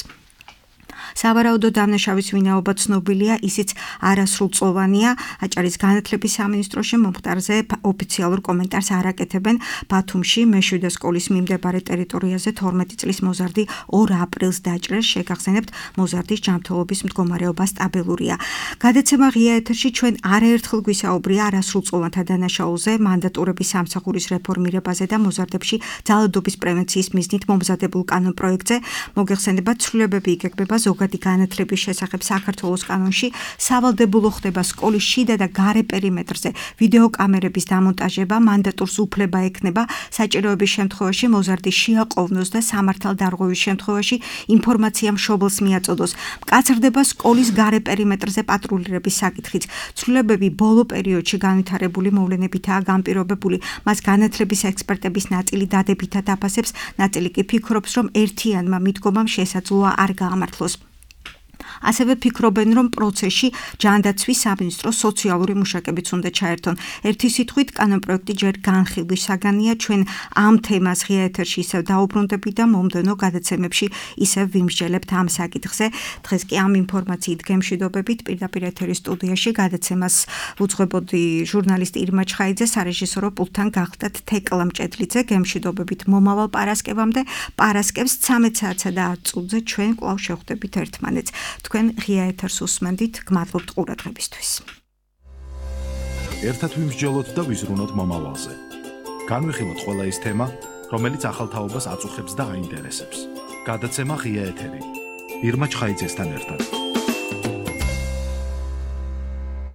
სავარაუდოდ დამნაშავის ვინაობა ცნობილია, ისიც არასრულწლოვანია. აჭარის განათლების სამინისტროში მომხდარზე ოფიციალურ კომენტარს არ აკეთებენ. ბათუმში მეშვიდე სკოლის მიმდებარე ტერიტორიაზე თორმეტი წლის მოზარდი ორ აპრილს დაჭრეს. შეგახსენებთ, მოზარდის ჯანმრთელობის მდგომარეობა სტაბილურია. გადაცემა ღია ეთერში ჩვენ არაერთხელ გვისაუბრია არასრულწლოვანთა დანაშაულზე, მანდატურების სამსახურის რეფორმირებაზე და მოზარდებში ძალადობის პრევენციის მიზნით მომზადებულ კანონპროექტზე. მოგეხსენებათ, ცვლილებები იგეგმება ზოგადი განათლების შესახებ საქართველოს კანონში. სავალდებულო ხდება სკოლის შიდა და გარე პერიმეტრზე ვიდეო კამერების დამონტაჟება. მანდატურს უფლება ექნება საჭიროების შემთხვევაში მოზარდი შეაყოვნოს და სამართალდარღვევის შემთხვევაში ინფორმაცია მშობელს მიაწოდოს. მკაცრდება სკოლის გარე პერიმეტრზე პატრულირების საკითხიც. ცვლილებები ბოლო პერიოდში განვითარებული მოვლენებითაა განპირობებული. მას განათლების ექსპერტების ნაწილი დადებითად აფასებს, ნაწილი კი ფიქრობს, რომ ერთიანმა მიდგომამ შესაძლოა არ გაამართლოს. ასევე ფიქრობენ, რომ პროცესში ჯანდაცვის სამინისტრო სოციალური მუშაკებიც უნდა ჩაერთონ. ერთი სიტყვით, კანონპროექტი ჯერ განხილვის საგანია. ჩვენ ამ თემას ღია ეთერში ისევ დაუბრუნდებით და მომდევნო გადაცემებში ისევ ვიმსჯელებთ ამ საკითხზე. დღეს კი ამ ინფორმაციით გემშვიდობებით. პირდაპირ ეთერის სტუდიაში გადაცემას უძღვებოდი ჟურნალისტი ირმა ჩხაიძე, სარეჟისორო პულტთან გახლდათ თეკლა მჭედლიძე. გემშვიდობებით მომავალ პარასკევამდე. პარასკევს ცამეტ საათსა და ათ წუთზე ჩვენ კვლავ შევხვდებით ერთმანეთს. თქვენ ღია ეთერს უსმენდით, გმადლობთ ყურადღებისთვის. ერთად ვიმსჯელოთ და ვიზრუნოთ მომავალზე. განვიხილოთ ყველა ის თემა, რომელიც ახალ თაობას აწუხებს და აინტერესებს. გადაცემა ღია ეთერი. ირმა ჩხაიძესთან ერთად.